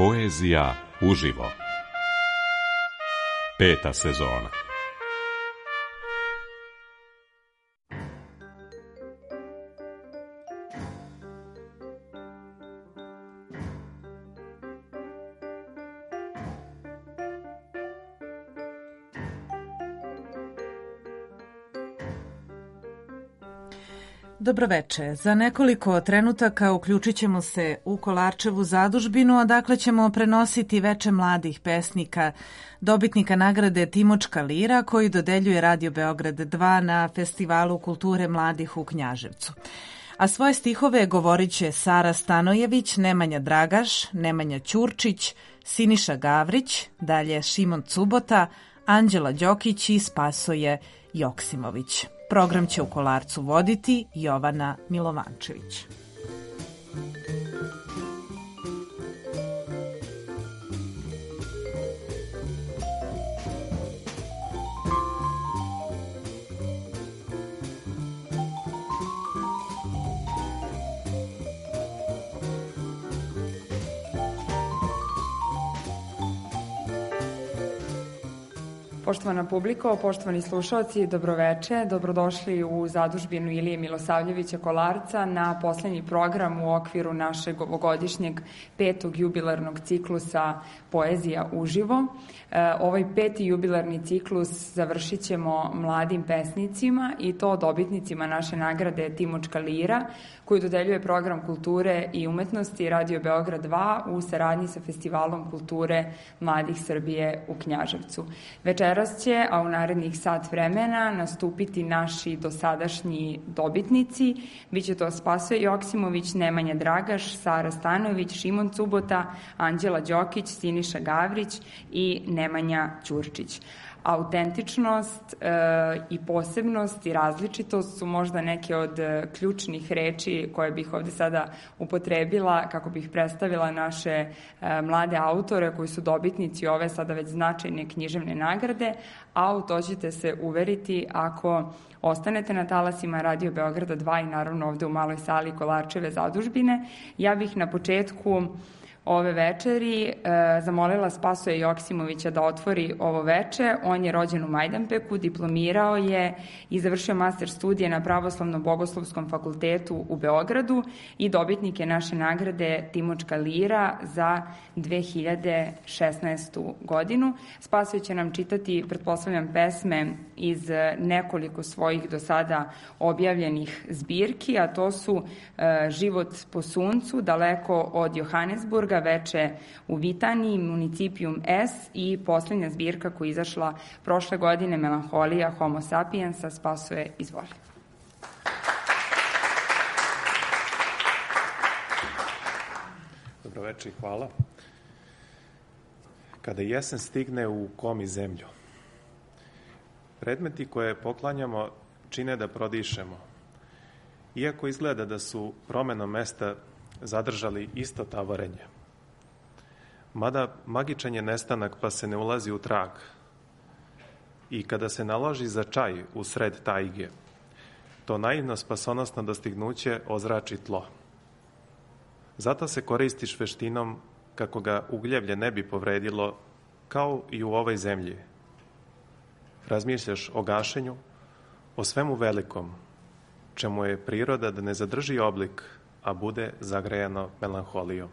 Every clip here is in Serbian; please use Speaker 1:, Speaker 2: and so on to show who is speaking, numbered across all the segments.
Speaker 1: Poezija uživo. 5. sezona.
Speaker 2: Dobroveče. Za nekoliko trenutaka uključit ćemo se u Kolarčevu zadužbinu, odakle ćemo prenositi veče mladih pesnika, dobitnika nagrade Timočka lira, koji dodeljuje Radio Beograd 2 na Festivalu kulture mladih u Knjaževcu. A svoje stihove govorit će Sara Stanojević, Nemanja Dragaš, Nemanja Ćurčić, Siniša Gavrić, dalje Šimon Cubota, Anđela Đokić i Spasoje Joksimović. Program će u Kolarcu voditi Jovana Milovančević.
Speaker 3: Poštovana publiko, poštovani slušalci, dobroveče, dobrodošli u zadužbinu Ilije Milosavljevića Kolarca na poslednji program u okviru našeg ovogodišnjeg 5. jubilarnog ciklusa Poezija uživo. Ovaj 5. jubilarni ciklus završit ćemo mladim pesnicima i to dobitnicima naše nagrade Timočka lira, koju dodeljuje Program kulture i umetnosti Radio Beograd 2 u saradnji sa Festivalom kulture mladih Srbije u Knjaževcu. Večeras će, a u narednih sat vremena, nastupiti naši dosadašnji dobitnici. Biće to Spasoje Joksimović, Nemanja Dragaš, Sara Stanojević, Šimon Cubota, Anđela Đokić, Siniša Gavrić i Nemanja Ćurčić. Autentičnost i posebnost i različitost su možda neke od ključnih reči koje bih ovde sada upotrebila kako bih predstavila naše mlade autore koji su dobitnici ove sada već značajne književne nagrade, a u to ćete se uveriti ako ostanete na talasima Radio Beograda 2 i naravno ovde u maloj sali Kolarčeve zadužbine. Ja bih na početku ove večeri zamolila Spasoje Joksimovića da otvori ovo veče. On je rođen u Majdanpeku, diplomirao je i završio master studije na Pravoslavno-bogoslovskom fakultetu u Beogradu i dobitnik je naše nagrade Timočka lira za 2016. godinu. Spasoje će nam čitati, pretpostavljam, pesme iz nekoliko svojih do sada objavljenih zbirki, a to su Život po suncu, Daleko od Johanesburga, Veče u Vitaniji, Municipijum S i poslednja zbirka koja je izašla prošle godine, Melanholija Homo sapiensa. Spasoje, izvoli.
Speaker 4: Dobroveče i hvala. Kada jesen stigne u komi zemlju, predmeti koje poklanjamo čine da prodišemo. Iako izgleda da su promenom mesta zadržali isto tavorenje. Mada magičan je nestanak pa se ne ulazi u trag. I kada se naloži za čaj u sred tajge, to naivno spasonosno dostignuće ozrači tlo. Zato se koristiš veštinom kako ga ugljevlje ne bi povredilo, kao i u ovoj zemlji. Razmišljaš o gašenju, o svemu velikom, čemu je priroda da ne zadrži oblik, a bude zagrejano melanholijom.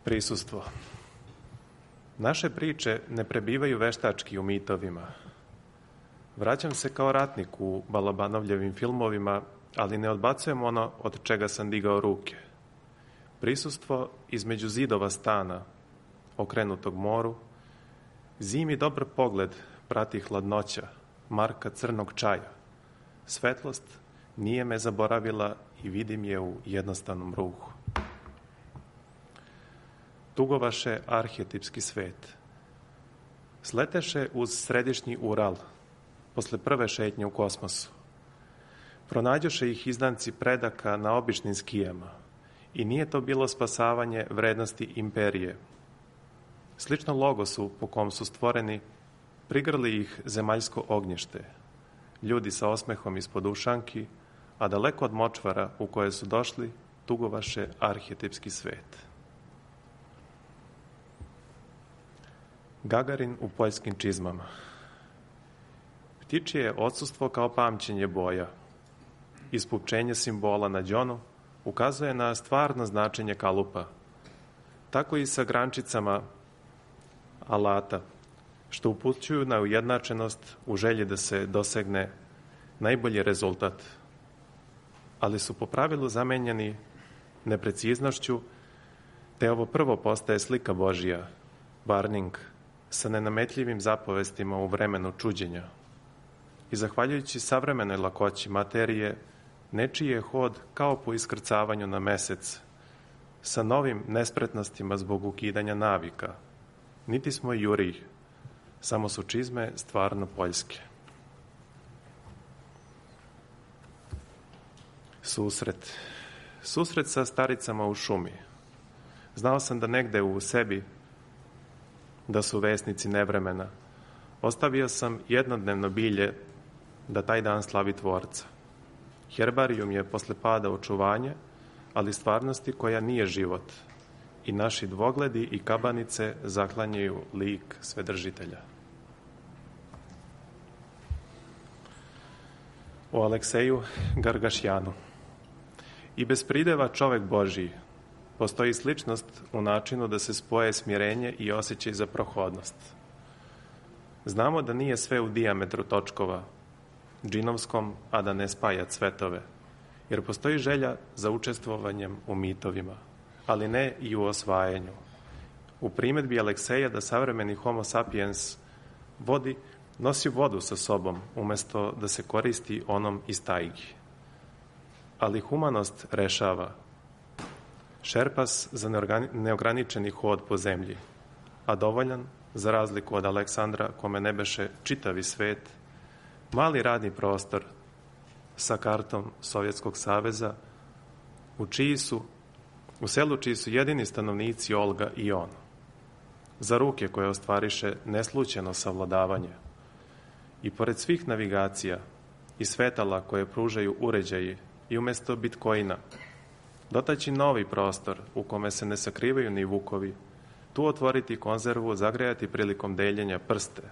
Speaker 4: Prisustvo. Naše priče ne prebivaju veštački u mitovima. Vraćam se kao ratnik u Balobanovljevim filmovima, ali ne odbacujem ono od čega sam digao ruke. Prisustvo između zidova stana, okrenutog moru, zimi dobar pogled prati hladnoća, marka crnog čaja. Svetlost nije me zaboravila i vidim je u jednostavnom ruhu. Tugovaše arhetipski svet. Sleteše uz središnji Ural, posle prve šetnje u kosmosu. Pronađoše ih izdanci predaka na običnim skijama i nije to bilo spasavanje vrednosti imperije. Slično logosu po kom su stvoreni, prigrli ih zemaljsko ognjište, ljudi sa osmehom ispod ušanki, a daleko od močvara u koje su došli tugovaše arhetipski svet. Gagarin u poljskim čizmama. Ptičije odsustvo kao pamćenje boja, ispupčenje simbola na đonu ukazuje na stvarno značenje kalupa. Tako i sa grančicama alata, što upućuju na ujednačenost u želji da se dosegne najbolji rezultat, ali su po pravilu zamenjeni nepreciznošću, te ovo prvo postaje slika Božija, varning, sa nenametljivim zapovestima u vremenu čuđenja. I zahvaljujući savremenoj lakoći materije, nečiji je hod kao po iskrcavanju na mesec, sa novim nespretnostima zbog ukidanja navika. Niti smo juriji, samo su čizme stvarno poljske. Susret. Susret sa staricama u šumi. Znao sam da negde u sebi da su vesnici nevremena. Ostavio sam jednodnevno bilje da taj dan slavi Tvorca. Herbarijum je posle pada očuvanje, ali stvarnosti koja nije život. I naši dvogledi i kabanice zaklanjaju lik Svedržitelja. O Alekseju Gargašjanu. I bez prideva čovek Božiji postoji sličnost u načinu da se spoje smirenje i osjećaj za prohodnost. Znamo da nije sve u dijametru točkova, džinovskom, a da ne spaja cvetove, jer postoji želja za učestvovanjem u mitovima, ali ne i u osvajanju. U primedbi Alekseja da savremeni homo sapiens nosi vodu sa sobom, umesto da se koristi onom iz tajgi. Ali humanost rešava. Šerpas za neograničeni hod po zemlji, a dovoljan, za razliku od Aleksandra, kome ne beše čitavi svet, mali radni prostor sa kartom Sovjetskog saveza, u selu čiji su jedini stanovnici Olga i on, za ruke koje ostvariše neslućeno savladavanje. I pored svih navigacija i svetala koje pružaju uređaji i umesto bitcoina, dotaći novi prostor u kome se ne sakrivaju ni vukovi, tu otvoriti konzervu, zagrejati prilikom deljenja prste.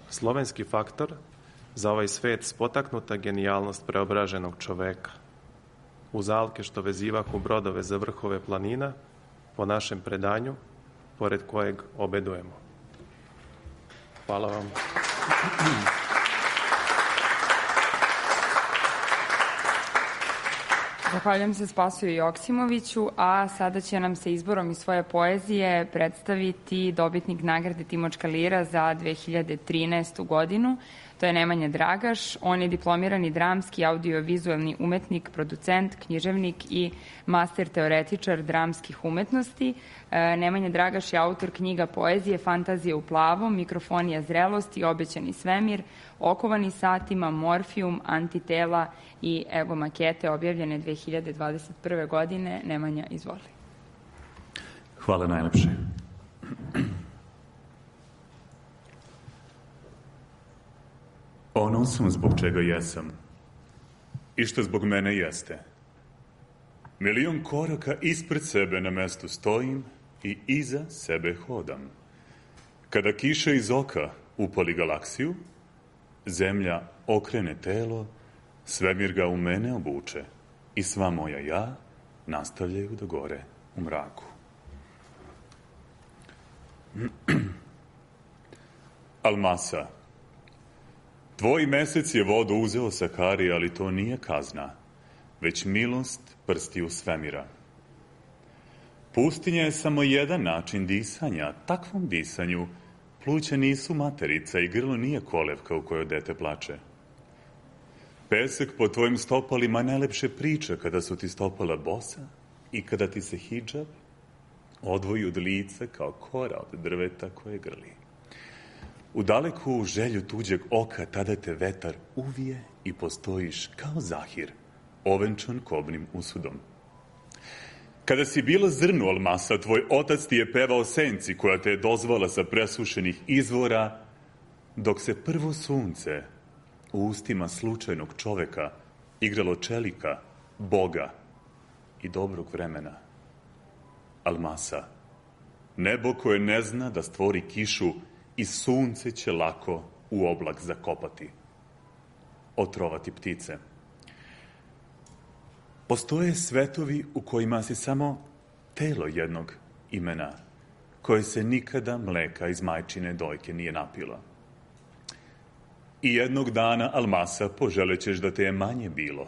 Speaker 4: Slovenski faktor za ovaj svet spotaknuta genijalnost preobraženog čoveka. Uz alke što vezivahu brodove za vrhove planina, po našem predanju, pored kojeg obedujemo. Hvala vam.
Speaker 3: Zahvaljujem se Spasoju Joksimoviću, a sada će nam se izborom iz svoje poezije predstaviti dobitnik nagrade Timočka lira za 2013. godinu. To je Nemanja Dragaš. On je diplomirani dramski audiovizualni umetnik, producent, književnik i master teoretičar dramskih umetnosti. Nemanja Dragaš je autor knjiga poezije Fantazije u plavom, Mikrofonija zrelosti, Obećani svemir, Okovani satima, Morfijum, Antitela i Ego makete, objavljene 2021. godine. Nemanja, izvoli.
Speaker 5: Hvala najlepše. Ono sam zbog čega jesam i što zbog mene jeste. Milion koraka ispred sebe na mestu stojim i iza sebe hodam. Kada kiša iz oka upali galaksiju, zemlja okrene telo, svemir ga u mene obuče i sva moja ja nastavljaju da gore u mraku. Almasa. Tvoj mesec je vodu uzeo sa kari, ali to nije kazna, već milost prstiju svemira. Pustinja je samo jedan način disanja. Takvom disanju pluća nisu materica i grlo nije kolevka u kojoj dete plače. Pesak po tvojim stopalima najlepše priča kada su ti stopala bosa i kada ti se hidžab odvoji od lica kao kora od drveta koje grli. U daleku želju tuđeg oka tada te vetar uvije i postojiš kao zahir, ovenčan kobnim usudom. Kada si bila zrnu almasa, tvoj otac ti je pevao senci koja te je dozvala sa presušenih izvora, dok se prvo sunce u ustima slučajnog čoveka igralo čelika, Boga i dobrog vremena. Almasa, nebo koje ne zna da stvori kišu i sunce će lako u oblak zakopati, otrovati ptice. Postoje svetovi u kojima si samo telo jednog imena, koje se nikada mleka iz majčine dojke nije napila. I jednog dana, Almasa, poželećeš da te je manje bilo.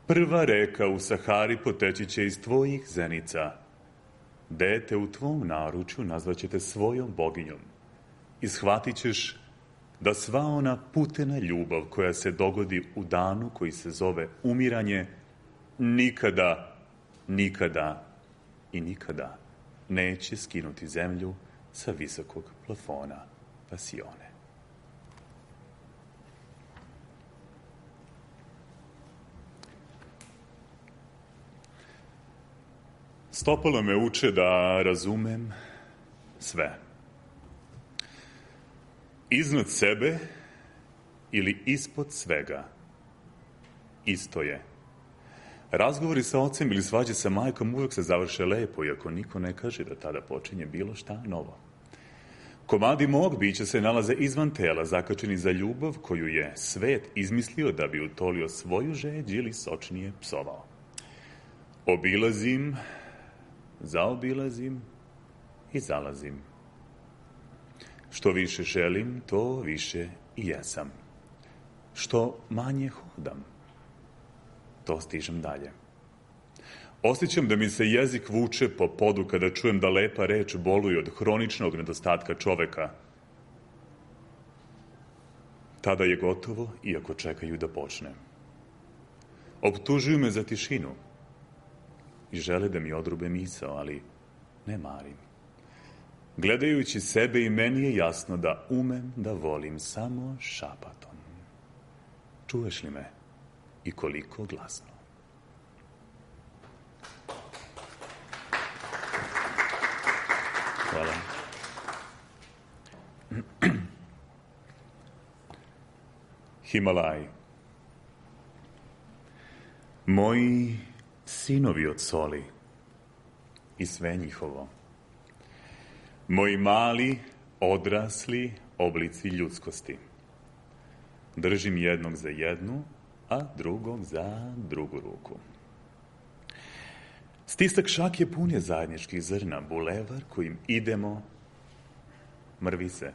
Speaker 5: Prva reka u Sahari poteći će iz tvojih zenica. Dete u tvom naručju nazvaćete svojom boginjom i shvatit ćeš da sva ona putena ljubav koja se dogodi u danu koji se zove umiranje nikada, nikada i nikada neće skinuti zemlju sa visokog plafona pasione. Stopalo me uče da razumem sve. Iznad sebe ili ispod svega isto je. Razgovori sa ocem ili svađe sa majkom uvijek se završe lepo, iako niko ne kaže da tada počinje bilo šta novo. Komadi mog bića se nalaze izvan tela, zakačeni za ljubav koju je svet izmislio da bi utolio svoju žeđ ili sočnije psovao. Obilazim, zaobilazim i zalazim. Što više želim, to više i jesam. Što manje hodam, to stižem dalje. Osjećam da mi se jezik vuče po podu kada čujem da lepa reč boluje od hroničnog nedostatka čoveka. Tada je gotovo, iako čekaju da počne. Optužuju me za tišinu i žele da mi odrube misao, ali ne marim. Gledajući sebe i meni je jasno da umem da volim samo šapatom. Čuješ li me i koliko glasno? Hvala. Himalaj. Moji sinovi od soli i sve njihovo. Moji mali, odrasli oblici ljudskosti. Držim jednog za jednu, a drugog za drugu ruku. Stisak šake pun je zajedničkih zrna, bulevar kojim idemo mrvi se.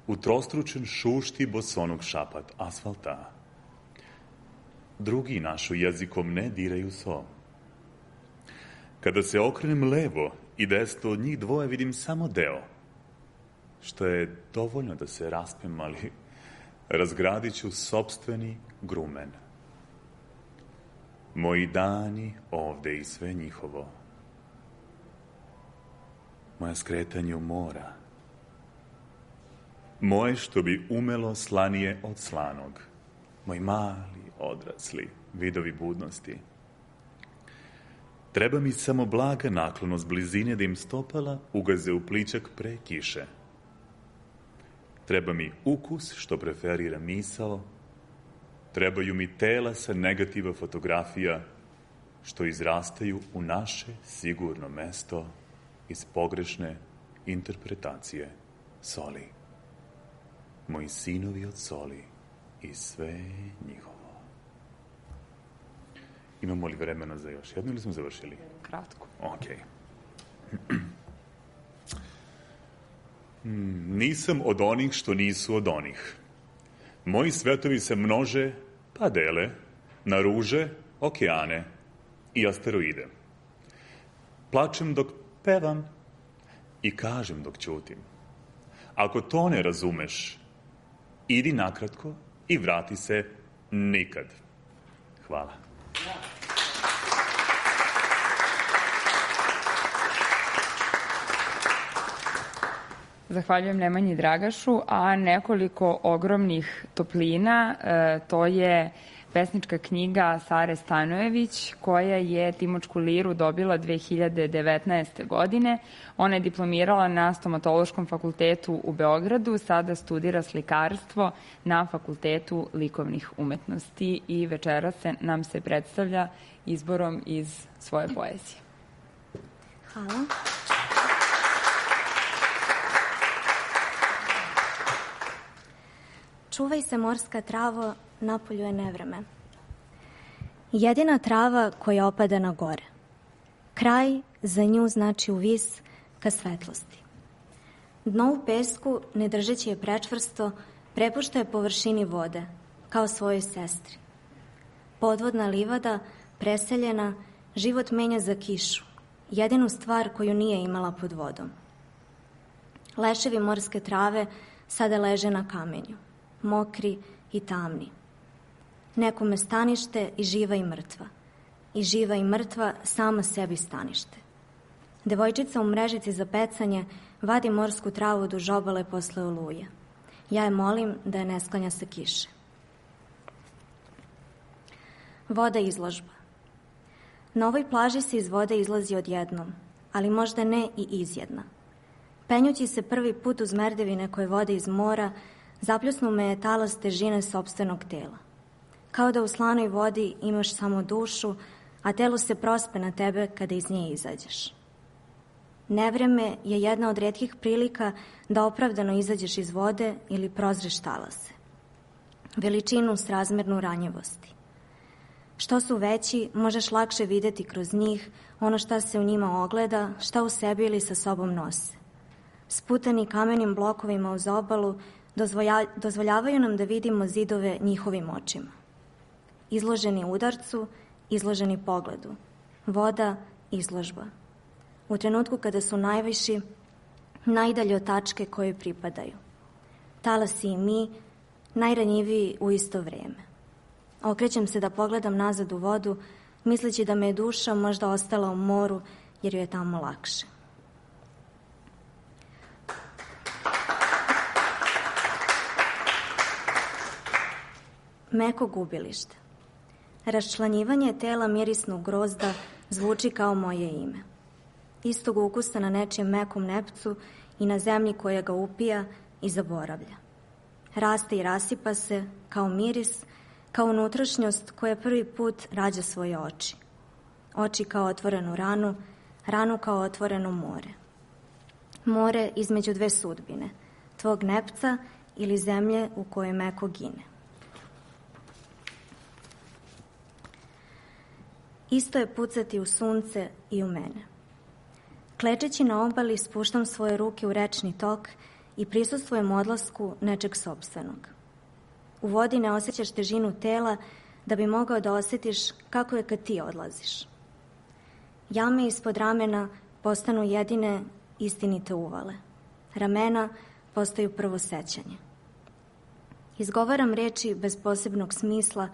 Speaker 5: Utrostručen šušti bosonog šapat asfalta. Drugi našu jezikom ne diraju so. Kada se okrenem levo i desno od njih dvoje vidim samo deo, što je dovoljno da se raspem, ali razgradit ću sopstveni grumen. Moji dani ovde i sve njihovo. Moja skretanje u mora. Moje što bi umelo slanije od slanog. Moji mali, odrasli, vidovi budnosti. Treba mi samo blaga naklonost blizine da im stopala ugaze u pličak pre kiše. Treba mi ukus što preferira misao. Trebaju mi tela sa negativa fotografija što izrastaju u naše sigurno mesto iz pogrešne interpretacije soli. Moji sinovi od soli i sve njihovo. Imamo li vremena za još jedno ili smo završili?
Speaker 3: Kratko.
Speaker 5: Ok. Nisam od onih što nisu od onih. Moji svetovi se množe, pa dele, na ruže, okeane i asteroide. Plačem dok pevam i kažem dok ćutim. Ako to ne razumeš, idi nakratko i vrati se nikad. Hvala.
Speaker 3: Zahvaljujem Nemanji Dragašu, a nekoliko ogromnih toplina, to je pesnička knjiga Sare Stanojević, koja je Timočku liru dobila 2019. godine. Ona je diplomirala na Stomatološkom fakultetu u Beogradu, sada studira slikarstvo na Fakultetu likovnih umetnosti i večeras nam se predstavlja izborom iz svoje poezije.
Speaker 6: Hvala. Čuvaj se, morska travo, napolju je nevreme. Jedina trava koja opada na gore. Kraj za nju znači uvis ka svetlosti. Dno u pesku, ne držeći je prečvrsto, prepušta je površini vode, kao svojoj sestri. Podvodna livada, preseljena, život menja za kišu, jedinu stvar koju nije imala pod vodom. Leševi morske trave sada leže na kamenju, mokri i tamni. Nekome stanište i živa i mrtva. I živa i mrtva sama sebi stanište. Devojčica u mrežici za pecanje vadi morsku travu duž obale posle oluje. Ja je molim da je ne sklanja sa kiše. Voda izložba. Na ovoj plaži se iz vode izlazi odjednom, ali možda ne i izjedna. Penjući se prvi put uz merdevine koje vode iz mora, zapljusnu me je talas težine sopstvenog tela. Kao da u slanoj vodi imaš samo dušu, a telo se prospe na tebe kada iz nje izađeš. Nevreme je jedna od retkih prilika da opravdano izađeš iz vode ili prozreš talase. Veličinu srazmernu ranjivosti. Što su veći, možeš lakše videti kroz njih ono šta se u njima ogleda, šta u sebi ili sa sobom nose. Sputani kamenim blokovima uz obalu dozvoljavaju nam da vidimo zidove njihovim očima. Izloženi udarcu, izloženi pogledu. Voda, izložba. U trenutku kada su najviši, najdalje od tačke kojoj pripadaju. Talasi i mi, najranjiviji u isto vrijeme. Okrećem se da pogledam nazad u vodu, misleći da me je duša možda ostala u moru, jer joj je tamo lakše. Meko gubilište. Raščlanjivanje tela mirisnog grozda zvuči kao moje ime. Istog ukusa na nečijem mekom nepcu i na zemlji koja ga upija i zaboravlja. Raste i rasipa se kao miris, kao unutrašnjost koja prvi put rađa svoje oči. Oči kao otvorenu ranu, ranu kao otvoreno more. More između dve sudbine, tvog nepca ili zemlje u kojoj meko gine. Isto je pucati u sunce i u mene. Klečeći na obali spuštam svoje ruke u rečni tok i prisustvujem odlasku nečeg sopstvenog. U vodi ne osjećaš težinu tela da bi mogao da osjetiš kako je kad ti odlaziš. Jame ispod ramena postanu jedine istinite uvale. Ramena postaju prvo sećanje. Izgovaram reči bez posebnog smisla,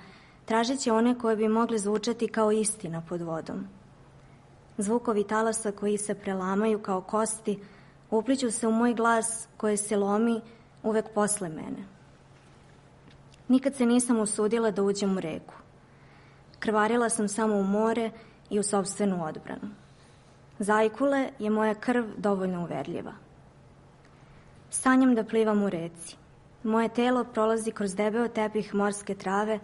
Speaker 6: tražeći one koje bi mogle zvučati kao istina pod vodom. Zvukovi talasa koji se prelamaju kao kosti upliću se u moj glas koje se lomi uvek posle mene. Nikad se nisam usudila da uđem u reku. Krvarila sam samo u more i u sopstvenu odbranu. Zajkule je moja krv dovoljno uverljiva. Sanjam da plivam u reci. Moje telo prolazi kroz debeo tepih morske trave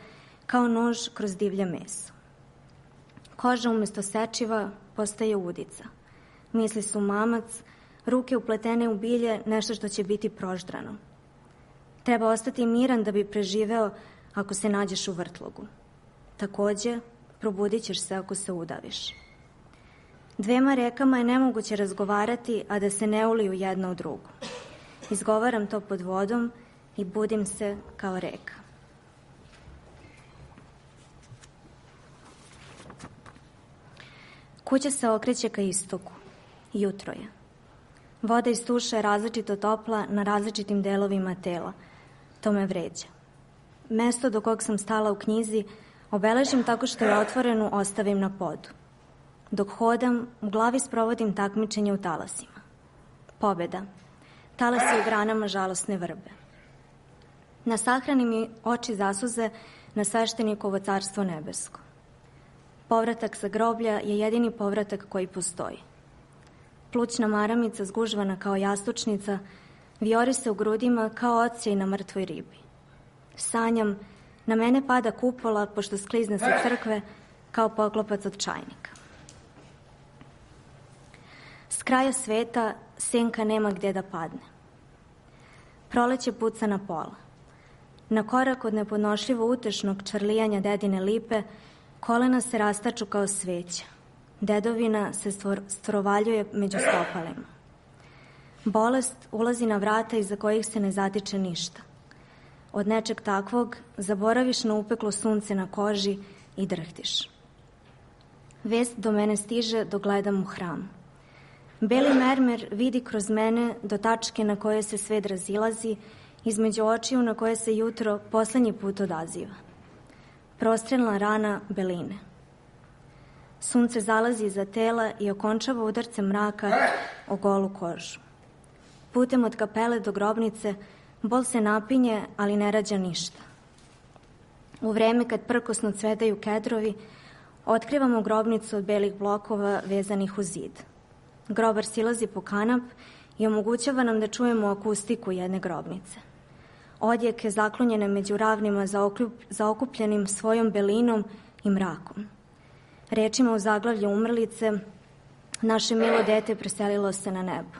Speaker 6: kao nož kroz divlje meso. Koža umjesto sečiva postaje udica. Misli su mamac, ruke upletene u bilje, nešto što će biti proždrano. Treba ostati miran da bi preživeo ako se nađeš u vrtlogu. Takođe, probudit ćeš se ako se udaviš. Dvema rekama je nemoguće razgovarati, a da se ne uliju jedna u drugu. Izgovaram to pod vodom i budim se kao reka. Kuća se okreće ka istoku. Jutro je. Voda iz tuša je različito topla na različitim delovima tela. To me vređa. Mesto do kog sam stala u knjizi obeležim tako što je otvorenu ostavim na podu. Dok hodam, u glavi sprovodim takmičenje u talasima. Pobeda. Talasi u granama žalosne vrbe. Na sahrani mi oči zasuze na sveštenikovo carstvo nebesko. Povratak sa groblja je jedini povratak koji postoji. Plućna maramica zgužvana kao jastučnica vijori se u grudima kao odsjej na mrtvoj ribi. Sanjam, na mene pada kupola pošto sklizne sa crkve kao poklopac od čajnika. kraja sveta senka nema gdje da padne. Proleće puca na pola. Na korak od nepodnošljivo utešnog čarlijanja dedine lipe, kolena se rastaču kao sveća. Dedovina se strovaljuje među stopalima. Bolest ulazi na vrata iza kojih se ne zatiče ništa. Od nečeg takvog zaboraviš na upeklo sunce na koži i drhtiš. Vest do mene stiže dok gledam u hram. Beli mermer vidi kroz mene do tačke na koje se svet razilazi, između očiju na koje se jutro posljednji put odaziva. Prostrelna rana beline. Sunce zalazi iza tela i okončava udarce mraka o golu kožu. Putem od kapele do grobnice bol se napinje, ali ne rađa ništa. U vreme kad prkosno cvetaju kedrovi, otkrivamo grobnicu od belih blokova vezanih u zid. Grobar silazi po kanap i omogućava nam da čujemo akustiku jedne grobnice. Odjeke zaklonjene među ravnima zaokupljenim svojom belinom i mrakom. Rečima u zaglavlju umrlice, naše milo dete preselilo se na nebo.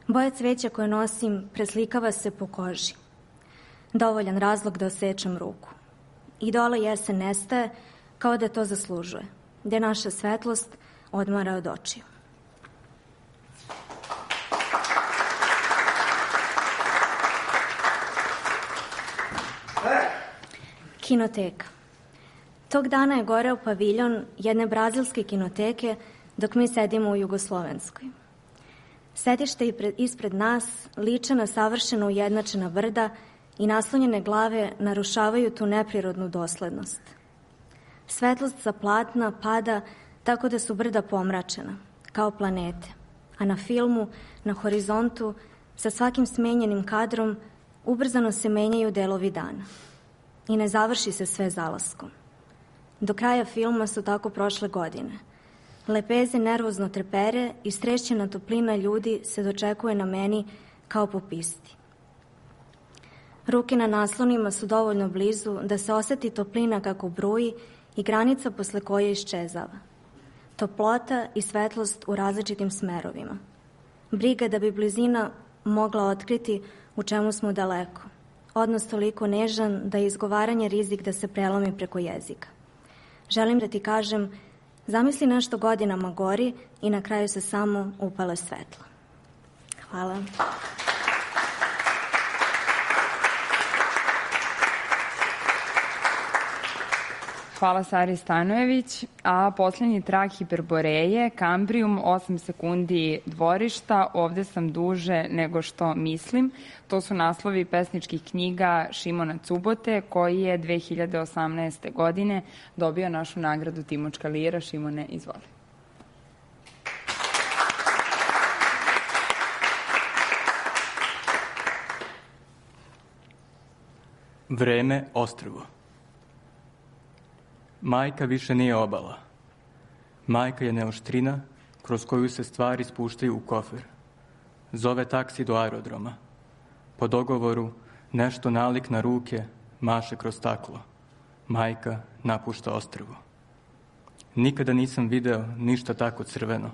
Speaker 6: Boja cveća koje nosim preslikava se po koži. Dovoljan razlog da osečem ruku. I dole jesen nestaje kao da to zaslužuje, gde naša svetlost odmara od očiju. Kinoteka. Tog dana je goreo paviljon jedne brazilske kinoteke dok mi sedimo u Jugoslovenskoj. Sedište ispred nas liče na savršeno ujednačena brda i naslonjene glave narušavaju tu neprirodnu doslednost. Svetlost sa platna pada tako da su brda pomračena, kao planete, a na filmu, na horizontu, sa svakim smenjenim kadrom, ubrzano se menjaju delovi dana. I ne završi se sve zalaskom. Do kraja filma su tako prošle godine. Lepeze nervozno trepere i strešćena toplina ljudi se dočekuje na meni kao po pisti. Ruke na naslonima su dovoljno blizu da se osjeti toplina kako bruji i granica posle koje iščezava. Toplota i svetlost u različitim smerovima. Briga da bi blizina mogla otkriti u čemu smo daleko. Odnos toliko nežan da je izgovaranje rizik da se prelomi preko jezika. Želim da ti kažem, zamisli nešto godinama gori i na kraju se samo upale svetlo. Hvala.
Speaker 3: Hvala Sari Stanojević, a posljednji trag Hiperboreje, Kambrium, 8 sekundi dvorišta, ovde sam duže nego što mislim. To su naslovi pesničkih knjiga Šimona Cubote, koji je 2018. godine dobio našu nagradu Timočka lira. Šimone, izvoli.
Speaker 7: Vreme, ostrvo. Majka više nije obala. Majka je neoštrina kroz koju se stvari spuštaju u kofer. Zove taksi do aerodroma. Po dogovoru nešto nalik na ruke maše kroz staklo. Majka napušta ostrvo. Nikada nisam video ništa tako crveno.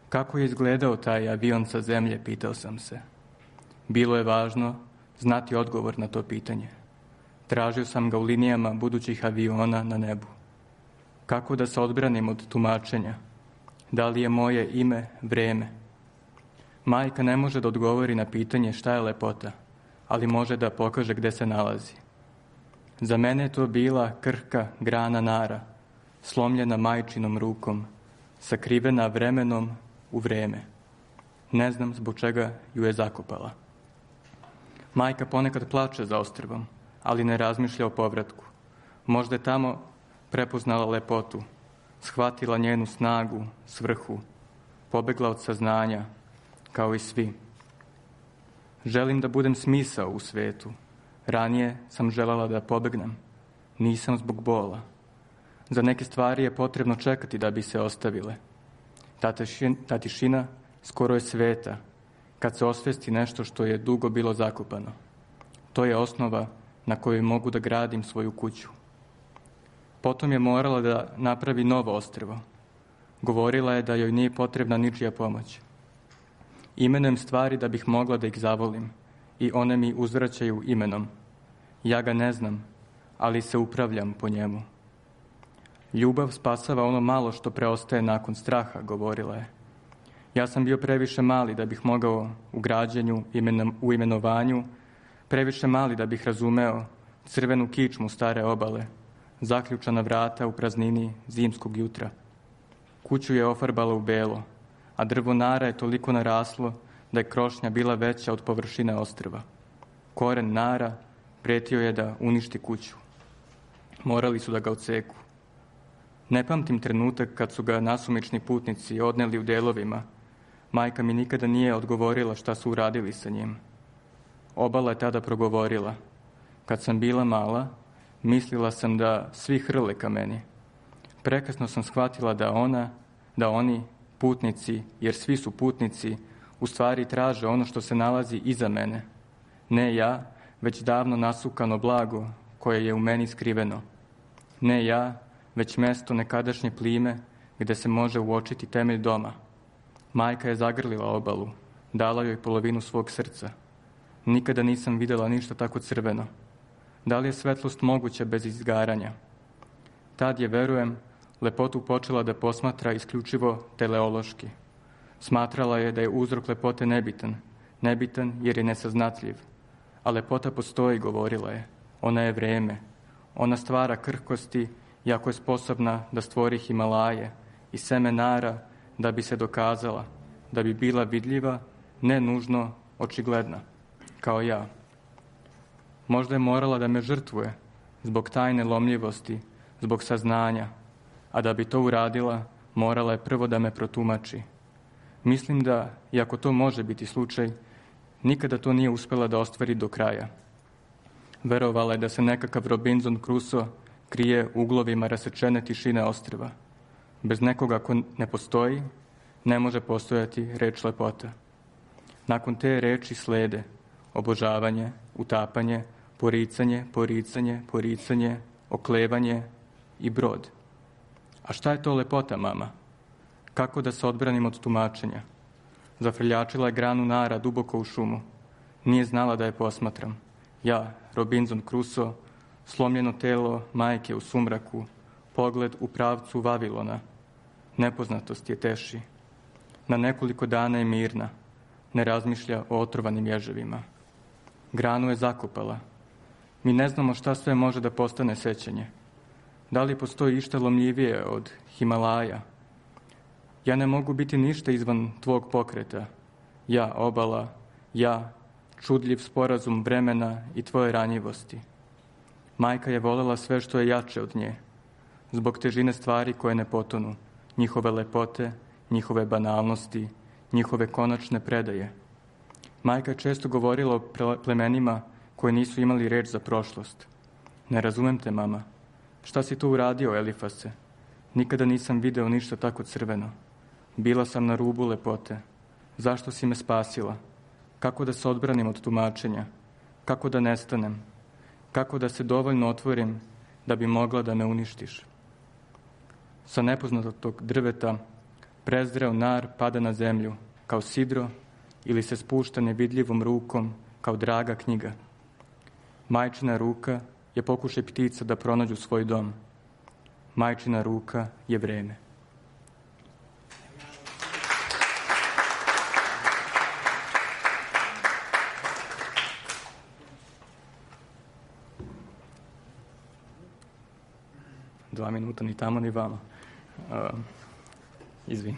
Speaker 7: Kako je izgledao taj avion sa zemlje, pitao sam se. Bilo je važno znati odgovor na to pitanje. Tražio sam ga u linijama budućih aviona na nebu. Kako da se odbranim od tumačenja? Da li je moje ime vreme? Majka ne može da odgovori na pitanje šta je lepota, ali može da pokaže gde se nalazi. Za mene je to bila krhka grana nara, slomljena majčinom rukom, sakrivena vremenom u vreme. Ne znam zbog čega ju je zakopala. Majka ponekad plače za ostrvom, ali ne razmišlja o povratku. Možda je tamo prepoznala lepotu, shvatila njenu snagu, svrhu, pobegla od saznanja, kao i svi. Želim da budem smisao u svetu. Ranije sam želela da pobegnem. Nisam zbog bola. Za neke stvari je potrebno čekati da bi se ostavile. Ta tišina skoro je sveta, kad se osvesti nešto što je dugo bilo zakopano. To je osnova na kojoj mogu da gradim svoju kuću. Potom je morala da napravi novo ostrvo. Govorila je da joj nije potrebna ničija pomoć. Imenujem stvari da bih mogla da ih zavolim i one mi uzvraćaju imenom. Ja ga ne znam, ali se upravljam po njemu. Ljubav spasava ono malo što preostaje nakon straha, govorila je. Ja sam bio previše mali da bih mogao u građenju, u imenovanju, previše mali da bih razumeo crvenu kičmu stare obale, zaključana vrata u praznini zimskog jutra. Kuću je ofarbala u belo, a drvo nara je toliko naraslo da je krošnja bila veća od površine ostrva. Koren nara pretio je da uništi kuću. Morali su da ga odseku. Ne pamtim trenutak kad su ga nasumični putnici odneli u delovima. Majka mi nikada nije odgovorila šta su uradili sa njim. Obala je tada progovorila. Kad sam bila mala, mislila sam da svi hrle ka meni. Prekasno sam shvatila da oni, putnici, jer svi su putnici, u stvari traže ono što se nalazi iza mene. Ne ja, već davno nasukano blago koje je u meni skriveno. Ne ja, već mesto nekadašnje plime gde se može uočiti temelj doma. Majka je zagrlila obalu, dala joj polovinu svog srca. Nikada nisam videla ništa tako crveno. Da li je svetlost moguća bez izgaranja? Tad je, verujem, lepotu počela da posmatra isključivo teleološki. Smatrala je da je uzrok lepote nebitan jer je nesaznatljiv. A lepota postoji, govorila je. Ona je vreme. Ona stvara krhkosti, jako je sposobna da stvori Himalaje i seme nara da bi se dokazala, da bi bila vidljiva, ne nužno očigledna, kao ja. Možda je morala da me žrtvuje zbog tajne lomljivosti, zbog saznanja, a da bi to uradila, morala je prvo da me protumači. Mislim da, iako to može biti slučaj, nikada to nije uspela da ostvari do kraja. Verovala je da se nekakav Robinson Crusoe krije u uglovima rasečene tišine ostrva. Bez nekoga ko ne postoji, ne može postojati reč lepota. Nakon te reči slede obožavanje, utapanje, poricanje, oklevanje i brod. A šta je to lepota, mama? Kako da se odbranim od tumačenja? Zafrljačila je granu nara duboko u šumu. Nije znala da je posmatram. Ja, Robinson Crusoe, slomljeno telo majke u sumraku, pogled u pravcu Vavilona. Nepoznatost je teši. Na nekoliko dana je mirna. Ne razmišlja o otrovanim ježevima. Granu je zakopala. Mi ne znamo šta sve može da postane sećanje. Da li postoji išta lomljivije od Himalaja? Ja ne mogu biti ništa izvan tvog pokreta. Ja, obala, ja, čudljiv sporazum vremena i tvoje ranjivosti. Majka je volela sve što je jače od nje, zbog težine stvari koje ne potonu, njihove lepote, njihove banalnosti, njihove konačne predaje. Majka je često govorila o plemenima koji nisu imali reč za prošlost. Ne razumem te, mama. Šta si tu uradio, Elifase? Nikada nisam video ništa tako crveno. Bila sam na rubu lepote. Zašto si me spasila? Kako da se odbranim od tumačenja? Kako da nestanem? Kako da se dovoljno otvorim da bi mogla da me uništiš? Sa nepoznatog drveta prezreo nar pada na zemlju kao sidro ili se spušta nevidljivom rukom kao draga knjiga. Majčina ruka je pokušaj ptica da pronađu svoj dom. Majčina ruka je vreme. Dva minuta ni tamo ni vama. Izvini.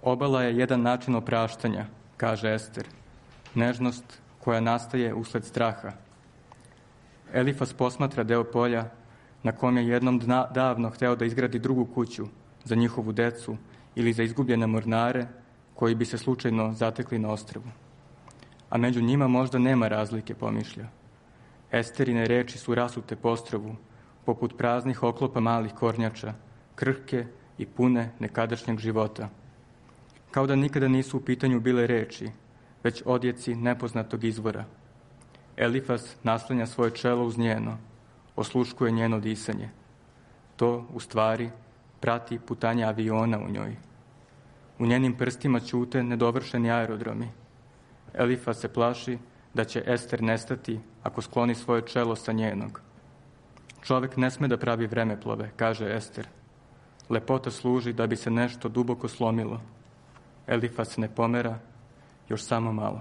Speaker 7: Obala je jedan način opraštanja, kaže Ester. Nežnost koja nastaje usled straha. Elifas posmatra deo polja na kom je jednom davno hteo da izgradi drugu kuću za njihovu decu ili za izgubljene mornare koji bi se slučajno zatekli na ostrvu. A među njima možda nema razlike, pomišlja. Esterine reči su rasute po ostrvu, poput praznih oklopa malih kornjača, krhke i pune nekadašnjeg života. Kao da nikada nisu u pitanju bile reči, već odjeci nepoznatog izvora. Elifas naslanja svoje čelo uz njeno, osluškuje njeno disanje. To, u stvari, prati putanja aviona u njoj. U njenim prstima ćute nedovršeni aerodromi. Elifa se plaši da će Ester nestati ako skloni svoje čelo sa njenog. Čovek ne sme da pravi vremeplove, kaže Ester. Lepota služi da bi se nešto duboko slomilo. Elifa se ne pomera, još samo malo.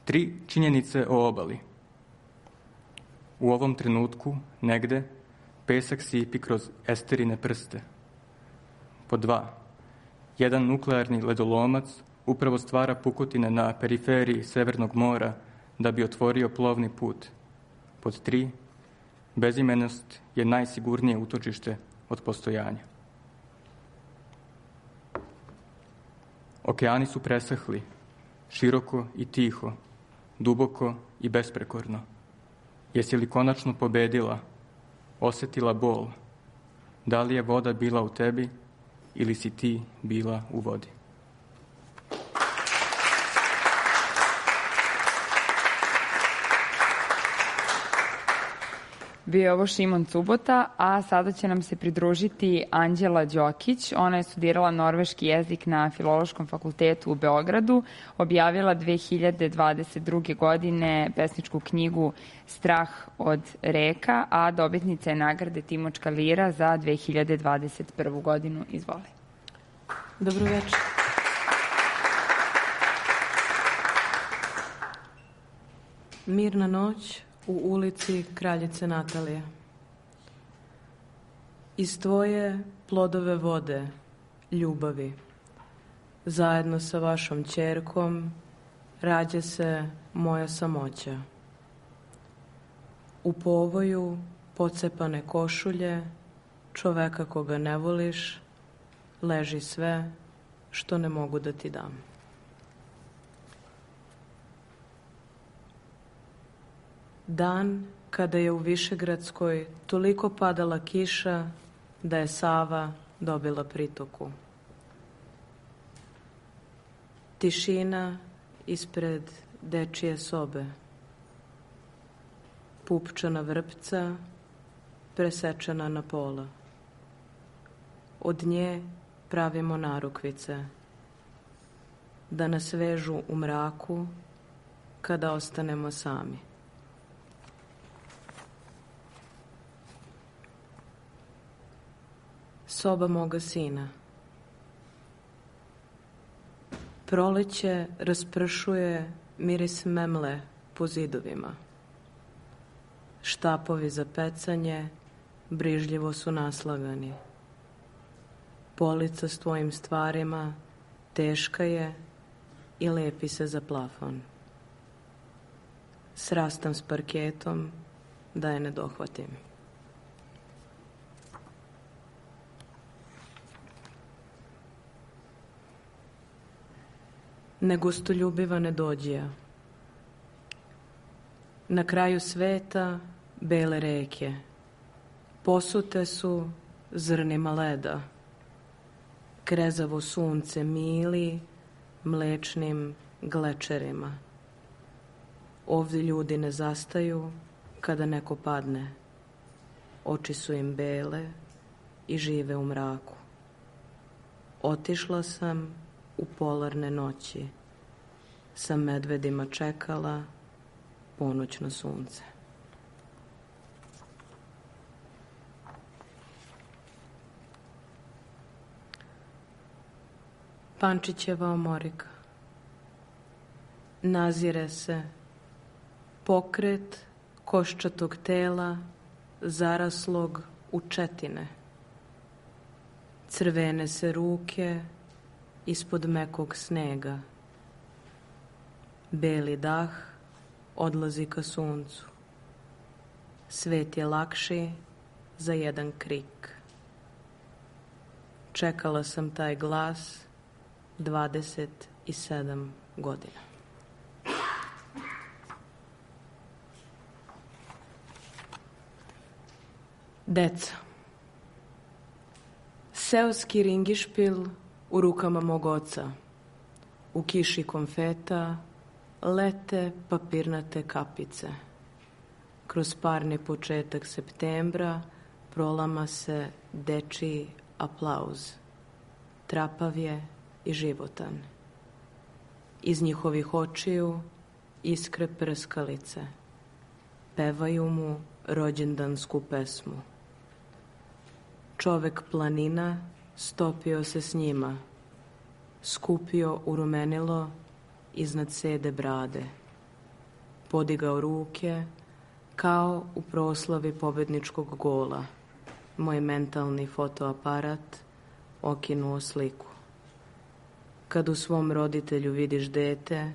Speaker 7: Tri činjenice o obali. U ovom trenutku, negde, pesak sipi kroz Esterine prste. Pod 2. Jedan nuklearni ledolomac upravo stvara pukotine na periferiji Severnog mora da bi otvorio plovni put. Pod 3. Bezimenost je najsigurnije utočište od postojanja. Okeani su presahli, široko i tiho, duboko i besprekorno. Jesi li konačno pobedila, osetila bol? Da li je voda bila u tebi ili si ti bila u vodi?
Speaker 3: Bio je ovo Šimon Cubota, a sada će nam se pridružiti Anđela Đokić. Ona je studirala norveški jezik na Filološkom fakultetu u Beogradu, objavila 2022. godine pesničku knjigu Strah od reka, a dobitnica je nagrade Timočka lira za 2021. godinu. Izvoli.
Speaker 8: Dobro večer. Mirna noć u ulici Kraljice Natalije. Iz tvoje plodove vode, ljubavi, zajedno sa vašom ćerkom, rađa se moja samoća. U povoju pocepane košulje, čoveka koga ne voliš, leži sve što ne mogu da ti dam. Dan kada je u Višegradskoj toliko padala kiša da je Sava dobila pritoku. Tišina ispred dečije sobe. Pupčana vrpca presečena na pola. Od nje pravimo narukvice da nas vežu u mraku kada ostanemo sami. Soba moga sina. Proleće raspršuje miris memle po zidovima. Štapovi za pecanje brižljivo su naslagani. Polica s tvojim stvarima teška je i lepi se za plafon. Srastam s parketom da je ne dohvatim. Negostoljubiva nedođija. Na kraju sveta bele reke. Posute su zrnima leda. Krezavo sunce mili mlečnim glečerima. Ovdje ljudi ne zastaju kada neko padne. Oči su im bele i žive u mraku. Otišla sam u polarne noći. Sa medvedima čekala ponoćno sunce. Pančićeva omorika. Nazire se pokret koščatog tela zaraslog u četine. Crvene se ruke ispod mekog snega. Beli dah odlazi ka suncu. Svet je lakši za jedan krik. Čekala sam taj glas 27 godina. Deca. Seoski ringišpil u rukama mog oca. U kiši konfeta lete papirnate kapice. kroz parni početak septembra prolama se dečiji aplauz. Trapav je i životan. Iz njihovih očiju iskre prskalice. Pevaju mu rođendansku pesmu. Čovek planina stopio se s njima, skupio urumenilo iznad sede brade, podigao ruke kao u proslavi pobedničkog gola. Moj mentalni fotoaparat okinuo sliku. Kad u svom roditelju vidiš dete,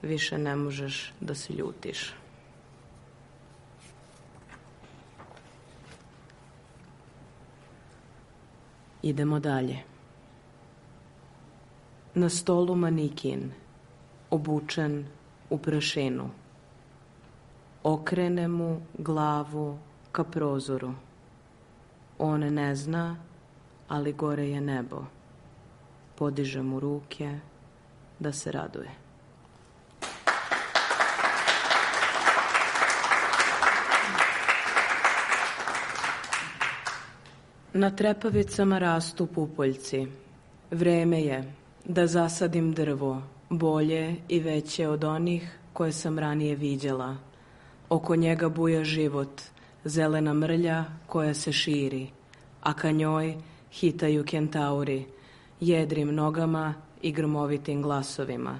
Speaker 8: više ne možeš da se ljutiš. Idemo dalje. Na stolu manikin, obučen u prašinu. Okrene mu glavu ka prozoru. On ne zna, ali gore je nebo. Podiže mu ruke da se raduje. Na trepavicama rastu pupoljci. Vreme je da zasadim drvo, bolje i veće od onih koje sam ranije viđala. Oko njega buja život, zelena mrlja koja se širi, a ka njoj hitaju kentauri, jedrim nogama i grmovitim glasovima.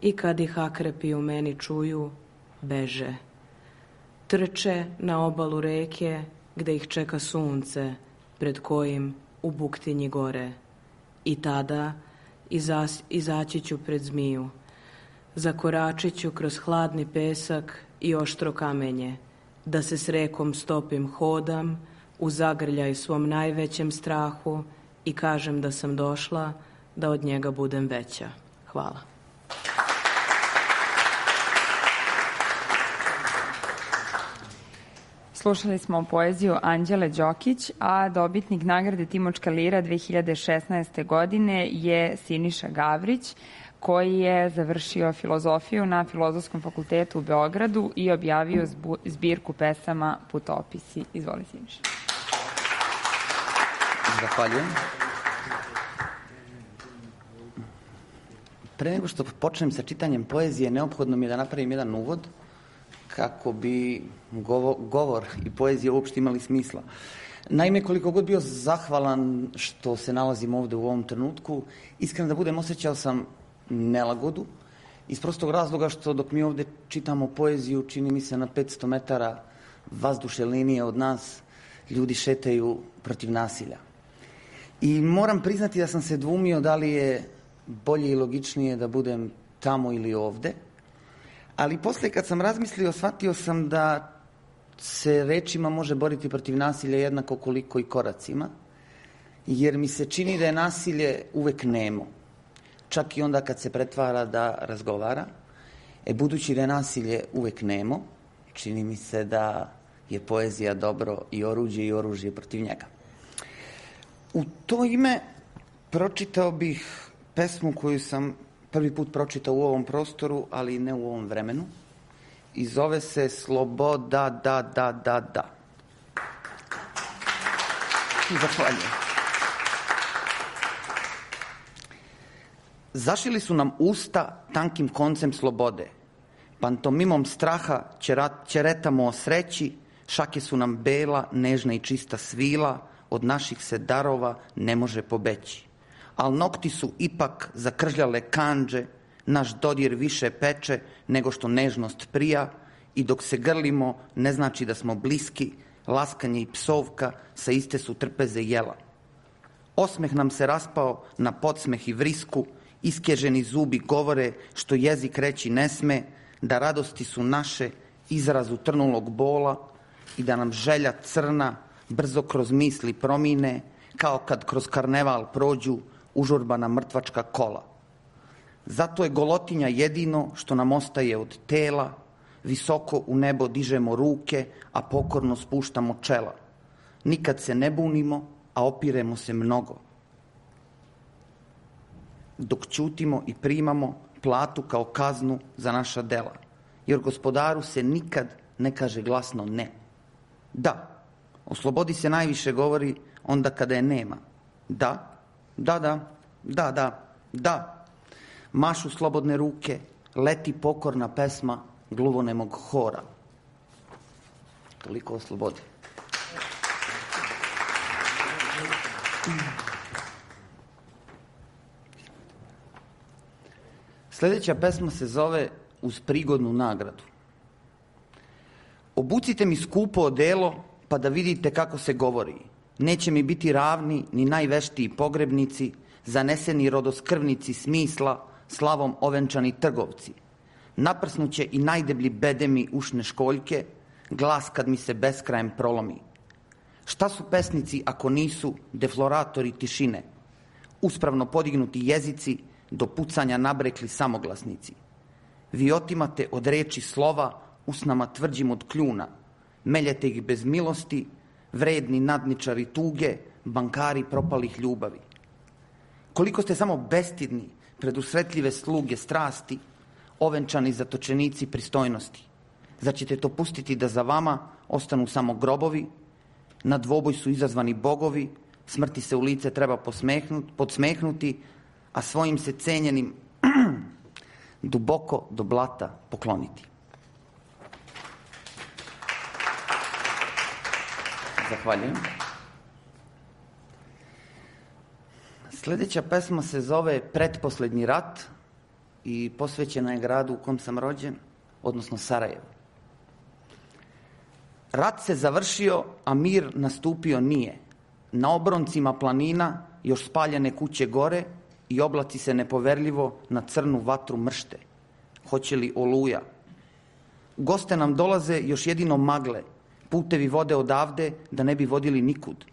Speaker 8: I kad ih akrepi u meni čuju, beže. Trče na obalu reke gde ih čeka sunce, pred kojim u buktinji gore. I tada izaći ću pred zmiju. Zakoračit ću kroz hladni pesak i oštro kamenje, da se s rekom stopim hodam, u zagrljaj svom najvećem strahu i kažem da sam došla da od njega budem veća. Hvala.
Speaker 3: Slušali smo poeziju Anđele Đokić, a dobitnik nagrade Timočka lira 2016. godine je Siniša Gavrić, koji je završio filozofiju na Filozofskom fakultetu u Beogradu i objavio zbirku pesama Putopisi. Izvoli, Siniša.
Speaker 9: Zahvaljujem. Pre nego što počnem sa čitanjem poezije, neophodno mi je da napravim jedan uvod kako bi govor i poezija uopšte imali smisla. Naime, koliko god bio zahvalan što se nalazim ovde u ovom trenutku, iskreno da budem, osjećao sam nelagodu, iz prostog razloga što dok mi ovde čitamo poeziju, čini mi se na 500 metara vazdušne linije od nas, ljudi šetaju protiv nasilja. I moram priznati da sam se dvumio da li je bolje i logičnije da budem tamo ili ovde, ali posle kad sam razmislio, shvatio sam da se rečima može boriti protiv nasilja jednako koliko i koracima, jer mi se čini da je nasilje uvek nemo, čak i onda kad se pretvara da razgovara. Budući da je nasilje uvek nemo, čini mi se da je poezija dobro i oružje protiv njega. U to ime pročitao bih pesmu koju sam prvi put pročitao u ovom prostoru, ali ne u ovom vremenu. I zove se Sloboda, da. Zahvaljujem. Zašili su nam usta tankim koncem slobode. Pantomimom straha ćeretamo o sreći, šake su nam bela, nežna i čista svila, od naših se darova ne može pobeći. Al nokti su ipak zakržljale kandže, naš dodir više peče nego što nežnost prija i dok se grlimo ne znači da smo bliski, laskanje i psovka sa iste su trpeze jela. Osmeh nam se raspao na podsmeh i vrisku, iskeženi zubi govore što jezik reći ne sme, da radosti su naše izraz utrnulog bola i da nam želja crna brzo kroz misli promine, kao kad kroz karneval prođu užurbana mrtvačka kola. Zato je golotinja jedino što nam ostaje od tela, visoko u nebo dižemo ruke, a pokorno spuštamo čela. Nikad se ne bunimo, a opiremo se mnogo. Dok ćutimo i primamo platu kao kaznu za naša dela, jer gospodaru se nikad ne kaže glasno ne. Da, o slobodi se najviše govori onda kada je nema. Da, da, da, da, da, da. Mašu slobodne ruke, leti pokorna pesma gluvonemog hora. Toliko o slobodi. Sljedeća pesma se zove Uz prigodnu nagradu. Obucite mi skupo odelo pa da vidite kako se govori. Neće mi biti ravni ni najveštiji pogrebnici, zaneseni rodoskrvnici smisla, slavom ovenčani trgovci. Naprsnuće i najdeblji bedemi ušne školjke, glas kad mi se beskrajem prolomi. Šta su pesnici ako nisu defloratori tišine? Uspravno podignuti jezici, do pucanja nabrekli samoglasnici. Vi otimate od reči slova, usnama tvrđim od kljuna. Meljete ih bez milosti, vredni nadničari tuge, bankari propalih ljubavi. Koliko ste samo bestidni pred usretljive sluge strasti, ovenčani zatočenici pristojnosti. Zar ćete to pustiti da za vama ostanu samo grobovi? Na dvoboj su izazvani bogovi, smrti se u lice treba podsmehnuti, a svojim se cenjenim duboko do blata pokloniti. Zahvaljujem. Sljedeća pesma se zove Pretposlednji rat i posvećena je gradu u kom sam rođen, odnosno Sarajevu. Rat se završio, a mir nastupio nije. Na obroncima planina još spaljene kuće gore i oblaci se nepoverljivo na crnu vatru mršte. Hoće li oluja? U goste nam dolaze još jedino magle. Putevi vode odavde da ne bi vodili nikud.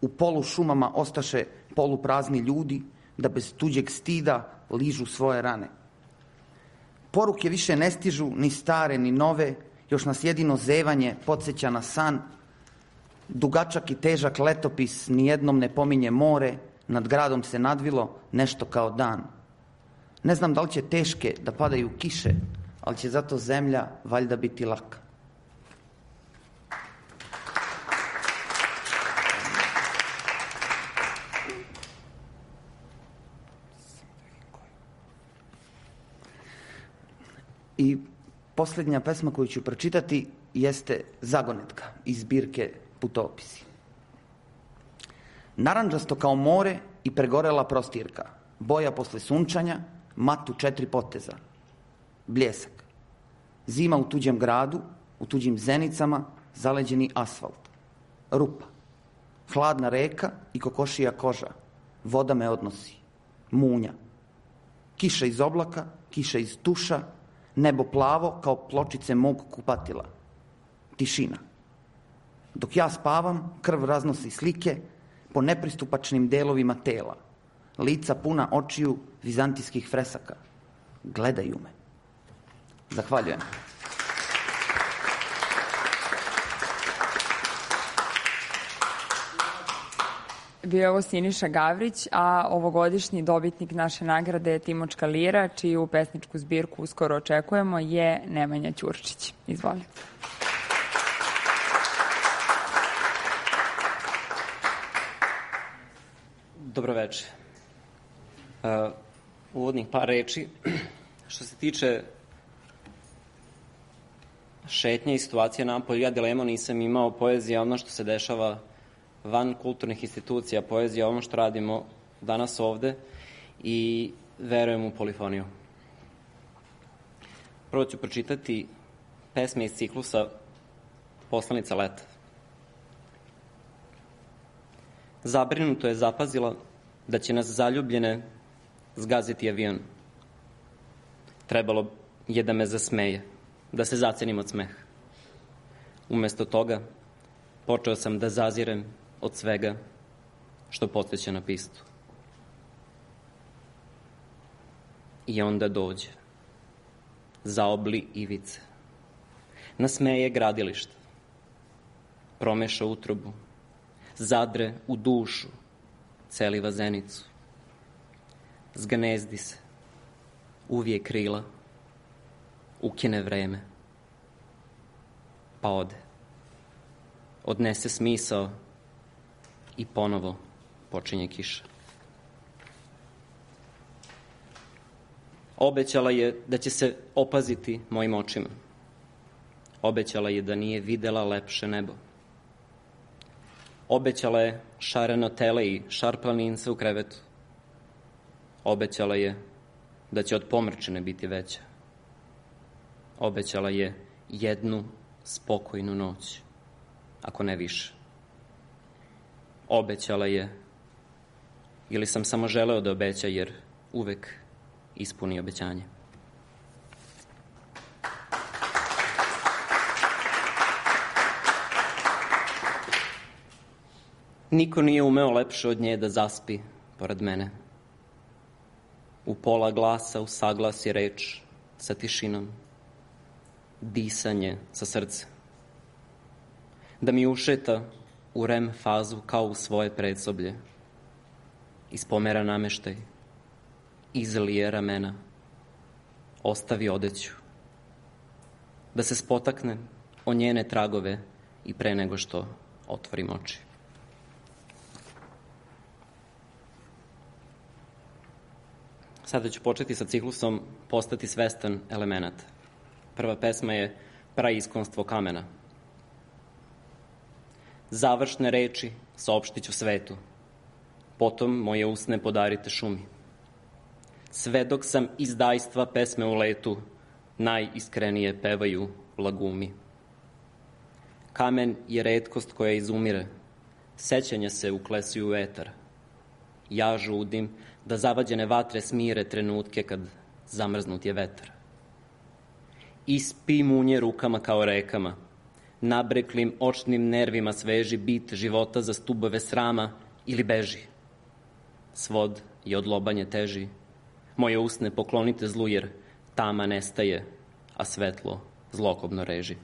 Speaker 9: U polu šumama ostaše poluprazni ljudi da bez tuđeg stida ližu svoje rane. Poruke više ne stižu ni stare ni nove, još nas jedino zevanje podsjeća na san. Dugačak i težak letopis nijednom ne pominje more, nad gradom se nadvilo nešto kao dan. Ne znam da li će teške da padaju kiše, ali će zato zemlja valjda biti laka. I posljednja pesma koju ću pročitati jeste Zagonetka iz zbirke Putopisi. Narandžasto kao more i pregorela prostirka, boja posle sunčanja, mat u 4 poteza, bljesak. Zima u tuđem gradu, u tuđim zenicama, zaleđeni asfalt. Rupa, hladna reka i kokošija koža, voda me odnosi. Munja, kiša iz oblaka, kiša iz tuša, nebo plavo kao pločice mog kupatila. Tišina. Dok ja spavam, krv raznosi slike po nepristupačnim delovima tela. Lica puna očiju vizantijskih fresaka. Gledaju me. Zahvaljujem.
Speaker 3: Bio je ovo Siniša Gavrić, a ovogodišnji dobitnik naše nagrade Timočka lira, čiju pesničku zbirku uskoro očekujemo, je Nemanja Ćurčić. Izvolite.
Speaker 10: Dobroveče. Uvodnih par reči. Što se tiče šetnje i situacije napolju, ja dilemu nisam imao. Poezija ono što se dešava van kulturnih institucija, poezija ono što radimo danas ovde i verujem u polifoniju. Prvo ću pročitati pesme iz ciklusa Poslanica leta. Zabrinuto je zapazila da će nas zaljubljene zgaziti avion. Trebalo je da me zasmeje, da se zacenim od smeha. Umesto toga, počeo sam da zazirem od svega što podsjeća na pistu. I onda dođe, zaobli ivice, nasmeje gradilište, promeša utrobu, zadre u dušu, celiva zenicu, zgnezdi se, uvije krila, ukine vreme. pa ode. Odnese smisao i ponovo počinje kiša. Obećala je da će se opaziti mojim očima. Obećala je da nije videla lepše nebo. Obećala je šareno tele i šarplanince u krevetu. Obećala je da će od pomrčine biti veća. Obećala je jednu spokojnu noć, ako ne više. Obećala je, ili sam samo želeo da obeća, jer uvek ispuni obećanje. Niko nije umeo lepše od nje da zaspi pored mene. U pola glasa usaglasi reč sa tišinom, disanje sa srcem. Da mi ušeta u REM fazu kao u svoje predsoblje, ispomera nameštaj, izlije ramena, ostavi odeću. Da se spotakne o njene tragove i pre nego što otvorim oči. Sada ću početi sa ciklusom Postati svestan elemenata. Prva pesma je Praiskonstvo kamena. Završne reči saopštit ću svetu, potom moje usne podarite šumi. Sve dok sam izdajstva pesme u letu, najiskrenije pevaju lagumi. Kamen je retkost koja izumire, sećanja se uklesuju u etar. Ja žudim da zavađene vatre smire trenutke kad zamrznut je vetar. Ispi munje rukama kao rekama, nabreklim očnim nervima sveži bit života za stubove srama ili beži. Svod je od lobanje teži, moje usne poklonite zlu jer tama nestaje, a svetlo zlokobno reži.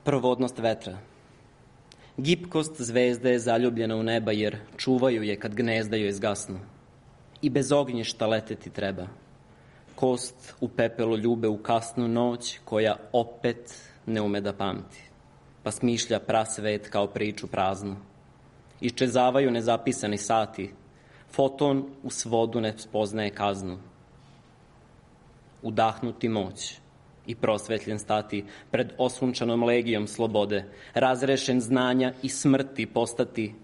Speaker 10: Provodnost vetra. Gipkost zvezde je zaljubljena u neba jer čuvaju je kad gnezda joj zgasnu. I bez ognjišta leteti treba. Kost u pepelu ljube u kasnu noć koja opet ne ume da pamti, pa smišlja prasvet kao priču praznu. Iščezavaju nezapisani sati, foton u svodu ne spoznaje kaznu. Udahnuti moć i prosvetljen stati pred osunčanom legijom slobode, razrešen znanja i smrti postati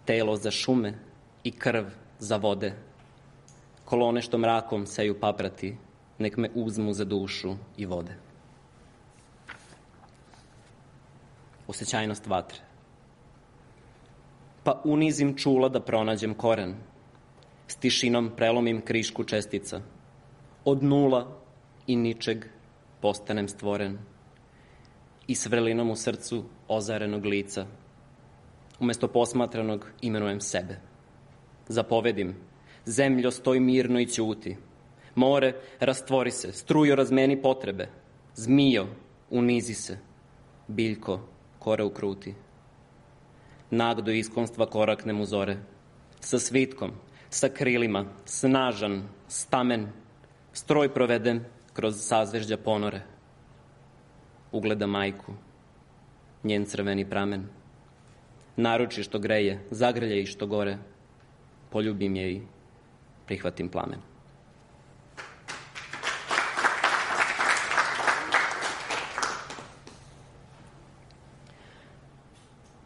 Speaker 10: telo za šume i krv za vode. Kolone što mrakom seju paprati, nek me uzmu za dušu i vode. Osećajnost vatre. Pa unizim čula da pronađem koren, s tišinom prelomim krišku čestica. Od nula i ničeg postanem stvoren i s vrelinom u srcu ozarenog lica. Umesto posmatranog imenujem sebe. Zapovedim, zemljo stoj mirno i ćuti. More, rastvori se, strujo razmeni potrebe. Zmijo, unizi se. Biljko, kore ukruti. Nag do iskonstva koraknem u zore. Sa svitkom, sa krilima, snažan, stamen, stroj provedem kroz sazvežđa ponore. Ugleda majku, njen crveni pramen. Naruči što greje, zagrlje i što gore. Poljubim je i prihvatim plamen.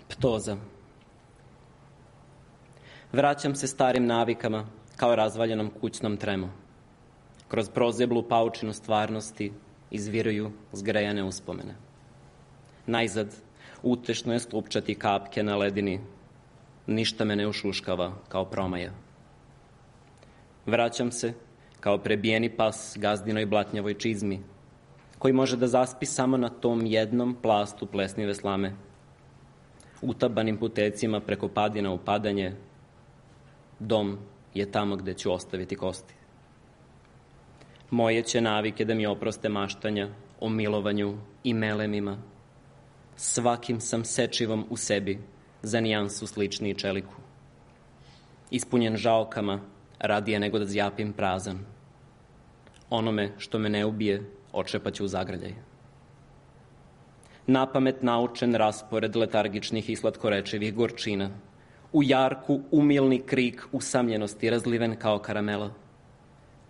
Speaker 10: Ptoza. Vraćam se starim navikama kao razvaljenom kućnom tremu. Kroz prozeblu paučinu stvarnosti izviruju zgrejane uspomene. Najzad utešno je slupčati kapke na ledini. Ništa me ne ušuškava kao promaja. Vraćam se kao prebijeni pas gazdinoj blatnjavoj čizmi, koji može da zaspi samo na tom jednom plastu plesnive slame. Utabanim putecima preko padina u padanje, dom je tamo gde ću ostaviti kosti. Moje će navike da mi oproste maštanja o milovanju i melemima. Svakim sam sečivom u sebi za nijansu sličniji čeliku. Ispunjen žaokama, radije nego da zjapim prazan. Onome što me ne ubije, očepaću u zagrljaj. Napamet naučen raspored letargičnih i slatkorečivih gorčina. U jarku umilni krik usamljenosti razliven kao karamela.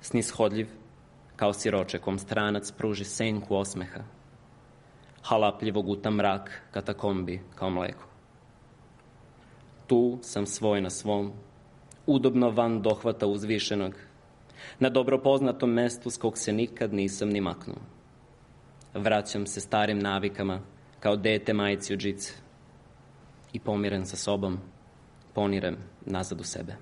Speaker 10: Snishodljiv kao siroče kom stranac pruži senku osmeha. Halapljivo guta mrak katakombi kao mleko. Tu sam svoj na svom, udobno van dohvata uzvišenog, na dobro poznatom mestu s kog se nikad nisam ni maknuo. Vraćam se starim navikama kao dete majici u džice i pomiren sa sobom, ponirem nazad u sebe.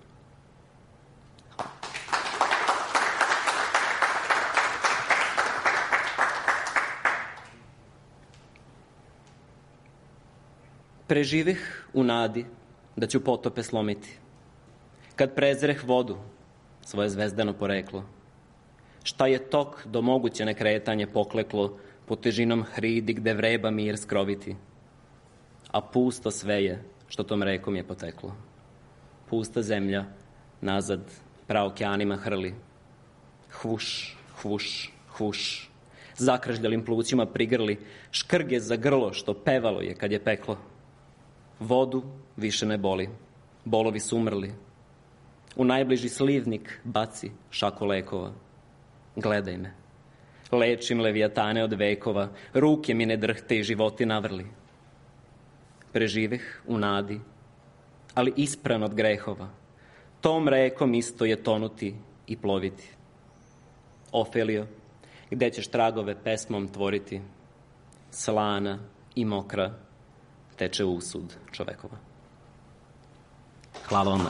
Speaker 10: Preživih u nadi da ću potope slomiti. Kad prezreh vodu, svoje zvezdano poreklo. Šta je tok do moguće nekretanje pokleklo pod težinom hridi gde vreba mir skroviti. A pusto sve je što tom rekom je poteklo. Pusta zemlja nazad praokeanima hrli. Hvuš, hvuš, hvuš. Zakržljalim plućima prigrli, škrge za grlo što pevalo je kad je peklo. Vodu više ne boli, bolovi su umrli. U najbliži slivnik baci šaku lekova. Gledaj me, lečim levijatane od vekova, ruke mi ne drhte i životi navrli. Preživeh u nadi, ali ispran od grehova. Tom rekom isto je tonuti i ploviti. Ofelio, gde ćeš tragove pesmom tvoriti? Slana i mokra teče usud čovekova. Hvala vam.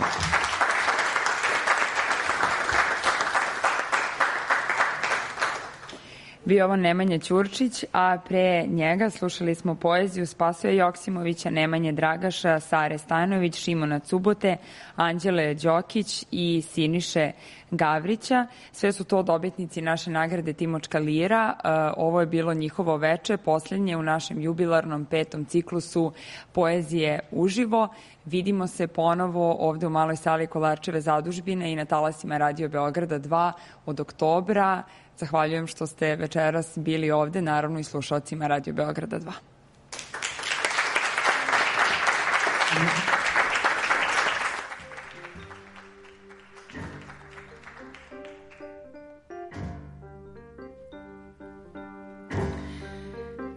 Speaker 3: Bio ovo Nemanja Ćurčić, a pre njega slušali smo poeziju Spasoja Joksimovića, Nemanje Dragaša, Sare Stajanović, Šimona Cubote, Anđele Đokić i Siniše Gavrića. Sve su to dobitnici naše nagrade Timočka lira. Ovo je bilo njihovo veče, poslednje u našem jubilarnom 5. ciklusu poezije uživo. Vidimo se ponovo ovde u maloj sali Kolarčeve zadužbine i na talasima Radio Beograda 2 od oktobra. Zahvaljujem što ste večeras bili ovde, naravno i slušalcima Radio Beograda 2.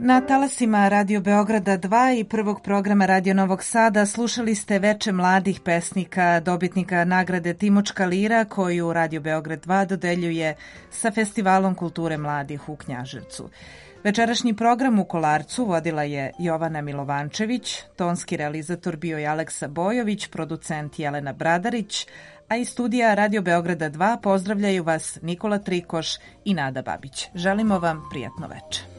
Speaker 2: Na talasima Radio Beograda 2 i prvog programa Radio Novog Sada slušali ste veče mladih pesnika, dobitnika nagrade Timočka lira koju Radio Beograd 2 dodeljuje sa Festivalom kulture mladih u Knjaževcu. Večerašnji program u Kolarcu vodila je Jovana Milovančević, tonski realizator bio je Aleksa Bojović, producent Jelena Bradarić, a iz studija Radio Beograda 2 pozdravljaju vas Nikola Trikoš i Nada Babić. Želimo vam prijatno veče.